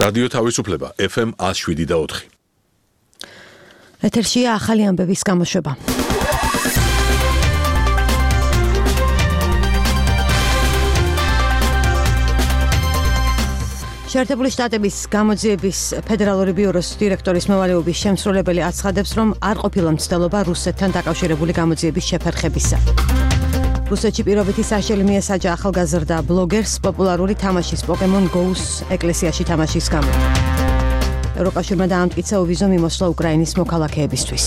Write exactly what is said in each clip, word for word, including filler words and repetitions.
რადიო თავისუფლება ეფ ემ one oh seven და four. ეთერშია ახალი ამბების გამოშვება. შეერთებული შტატების გამოძიების ფედერალური ბიუროს დირექტორის მოვალეობის შემსრულებელი აცხადებს, რომ არ ყოფილა მცდელობა რუსეთთან დაკავშირებული გამოძიების შეფერხებისა. რუსეთში პირობითი საშელი მიესაჯა ახალგაზრდა ბლოგერს პოპულარული თამაშის Pokemon Go-ს ეკლესიაში თამაშის გამო. ევროკავშირმა დაამტკიცა ოვიზო მიმოსვლა უკრაინის მოქალაქეებისთვის.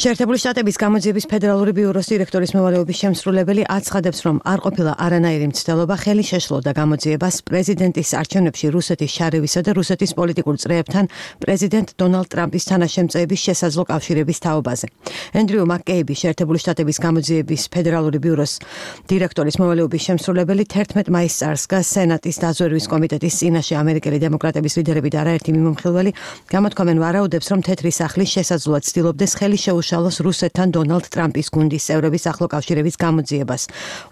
შეერთებული შტატების გამოძიების ფედერალური ბიუროს დირექტორის მოვალეობის შემსრულებელი აცხადებს, რომ არ ყოფილა არანაირი მცდელობა ხელი შეშლოდა გამოძიებას პრეზიდენტის არჩევნებში რუსეთის შარევისა და რუსეთის პოლიტიკურ წრეებთან პრეზიდენტ დონალდ ტრამპის თანაშემწეების შესაძლო კავშირების თაობაზე. ენდრიუ მაკკეიბი, შეერთებული შტატების გამოძიების ფედერალური ბიუროს დირექტორის მოვალეობის შემსრულებელი თერთმეტ მაისს წარსდგა სენატის დაზვერვის კომიტეტის წინაშე ამერიკელი დემოკრატების ლიდერები და არაერთი მიმომხილველი გამოთქვამენ ვარაუდებს, რომ თეთრი სახლი შესაძლოა ცდილობდეს ხელი შეუშალოს რუსეთთან დონალდ ტრამპის გუნდის წევრების ახლო კავშირების გამოძიებას.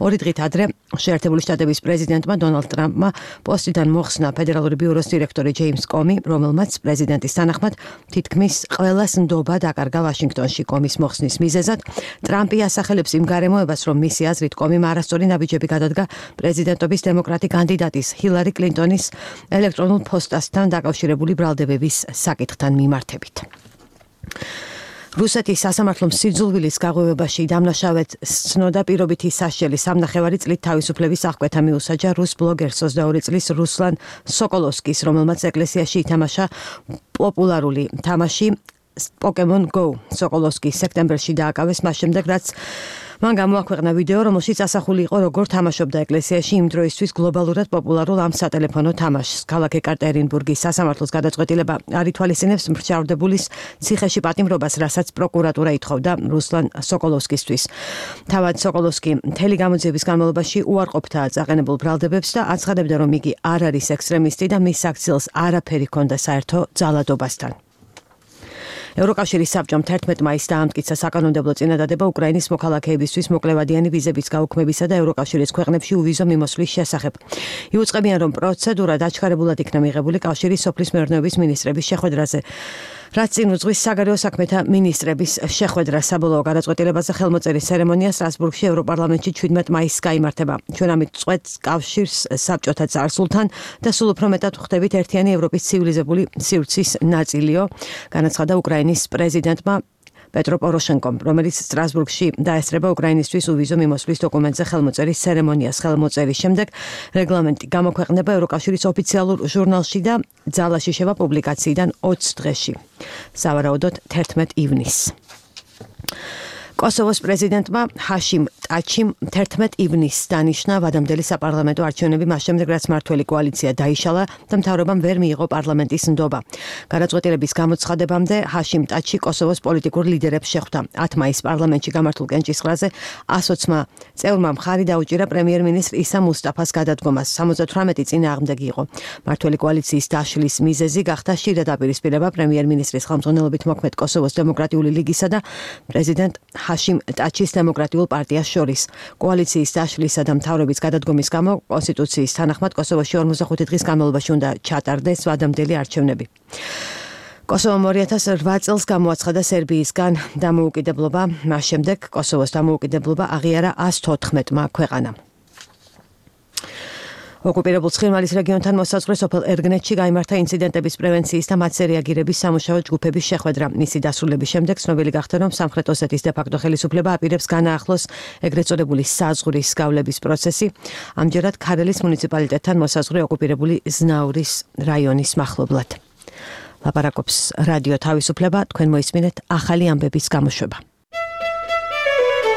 ორი დღით ადრე შეერთებული შტატების პრეზიდენტმა დონალდ ტრამპმა პოსტიდან მოხსნა ფედერალური ბიუროს დირექტორი ჯეიმს კომი, რომელმაც პრეზიდენტის თანახმად თითქმის ყველას ნდობა დაკარგა ვაშინგტონში. კომის მოხსნის მიზეზად ტრამპი ასახელებს იმ გარემოებას, რომ მისი აზრით კომიმ არასწორი ნაბიჯები გადადგა პრეზიდენტობის დემოკრატი კანდიდატის ჰილარი კლინტონის ელექტრონულ ფოსტასთან დაკავშირებული ბრალდებების საკითხთან მიმართებით. რუსეთის სასამართლო სიძულვილის გაღვივებაში დამნაშავედ სცნოდა პირობითი საშელი სამნახევარი წლით თავისუფლების აღკვეთა მიუსაჯა რუს ბლოგერს ოცდაორი წლის რუსლან სოკოლოვსკის, რომელმაც ეკლესიაში ითამაშა პოპულარული თამაში Pokemon Go. სოკოლოვსკი სექტემბერში დააკავეს მას შემდეგ, რაც მან გამოაქვეყნა ვიდეო, რომელშიც ასახული იყო, როგორ თამაშობდა ეკლესიაში იმ დროისთვის გლობალურად პოპულარულ ამ სატელეფონო თამაშს. ქალაქ ეკატერინბურგის სასამართლოს გადაწყვეტილება არ ითვალისწინებს მრჩევლდებულის ციხეში პატიმრობას, რასაც პროკურატურა ითხოვდა რუსლან სოკოლოვსკისთვის. თავად სოკოლოვსკი მთელი გამოძიების განმავლობაში უარყოფთაა წაყენებულ ბრალდებებს და აცხადებდა, რომ იგი არ არის ექსტრემისტი და მის საქციელს არაფერი ჰქონდა საერთო ძალადობასთან. ევროკავშირის საბჭომ თერთმეტ მაისს დაამტკიცა საკანონმდებლო წინადადება უკრაინის მოქალაქეებისთვის მოკლევადიანი ვიზების გაუქმებისა და ევროკავშირის ქვეყნებში უვიზო მიმოსვლის შესახებ. იუწყებიან, რომ პროცედურა დაჩქარებულად იქნა მიღებული კავშირის სოფლის მეურნეობის მინისტრების შეხვედრაზე, რაც წინ უძღვის საგარეო საქმეთა მინისტრების შეხვედრა. საბოლოო გადაწყვეტილებაზე ხელმოწერის ცერემონია სტრასბურგში ევროპარლამენტში შვიდმეტ მაისს გაიმართება. ჩვენ ამით წყვეტს კავშირს საბჭოთა წარსულთან და სულ უფრო მეტად ვხვდებით ერთიანი ევროპის ცივილიზებული სივრცის ნაწილიო, განაცხადა უკრაინის პრეზიდენტმა პეტრო პოროშენკომ, რომელიც სტრასბურგში დაესწრება უკრაინისთვის უვიზო მიმოსვლის დოკუმენტზე ხელმოწერის ცერემონიას. ხელმოწერის შემდეგ რეგლამენტი გამოქვეყნება ევროკავშირის ოფიციალურ ჟურნალში და ძალაში შევა პუბლიკაციიდან ოცი დღეში, სავარაუდოდ თერთმეტ ივნისს. კოსოვოს პრეზიდენტმა ჰაშიმ ტაჩიმ თერთმეტ ივნისს დანიშნა ვადამდელი საპარლამენტო არჩევნები მას შემდეგ, რაც მმართველი კოალიცია დაიშალა და მთავრობამ ვერ მიიღო პარლამენტის ნდობა. გადაწყვეტილების გამოცხადებამდე ჰაშიმ ტაჩი კოსოვოს პოლიტიკურ ლიდერებს შეხვდა. ათი მაისს პარლამენტში გამართულ კენჭისყრაზე ასოცმა წევრმა მხარი დაუჭირა პრემიერ-მინისტრ ისა მუსტაფას გადადგომას. სამოცდათვრამეტი წინააღმდეგი იყო. მმართველი კოალიციის დაშლის მიზეზი გახდა შიდა დაპირისპირება პრემიერ-მინისტრის ხელმძღვანელობით მოქმედ კოსოვოს დემოკრატიული ლიგისა და პრეზიდენტ ჰაშიმ ტაჩის დემოკრატიულ პარტიას შორის. კოალიციის დაშლისა და მთავრობის გადადგომის გამო კონსტიტუციის თანახმად კოსოვოში ორმოცდახუთი დღის განმავლობაში უნდა ჩატარდეს ვადამდელი არჩევნები. კოსოვომ ორი ათას რვა წელს გამოაცხადა სერბიისგან დამოუკიდებლობა, მას შემდეგ კოსოვოს დამოუკიდებლობა აღიარა ას თოთხმეტმა ქვეყანამ. ოკუპირებულ ცხინვალის რეგიონთან მოსაზღვრე სოფელ ერგნეთში გაიმართა ინციდენტების პრევენციის და მათზე რეაგირების სამუშაო ჯგუფების შეხვედრა. მისი დასრულების შემდეგ ცნობილი გახდა, რომ სამხრეთ ოსეთის დე-ფაქტო ხელისუფლება აპირებს განაახლოს ეგრეთ წოდებული საზღვრის გავლების პროცესი. ამჯერად ქარელის მუნიციპალიტეტთან მოსაზღვრე ოკუპირებული ზნაურის რაიონის მახლობლად. ლაპარაკობს რადიო თავისუფლება, თქვენ მოისმინეთ ახალი ამბების გამოშვება.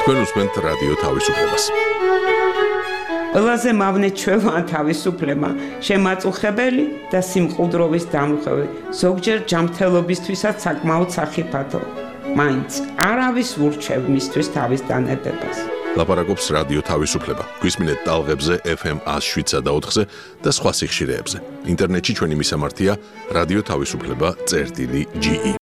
თქვენ უსმენთ რადიო თავისუფლებას. ყველაზე მავნე ჩვევა თავისუფლება, შემაწუხებელი და სიმყუდროვის დამრღვევი, ზოგჯერ ჯანმრთელობისთვისაც საკმაოდ სახიფათო. მაინც არავის ურჩევ მისთვის თავის დანებებას. ლაპარაკობს რადიო თავისუფლება. გვისმინეთ ტალღებზე ეფ ემ one oh seven და four-ზე და სხვა სიხშირეებზე. ინტერნეტში ჩვენი მისამართია რადიო თავისუფლება წერტილი ჯი ი.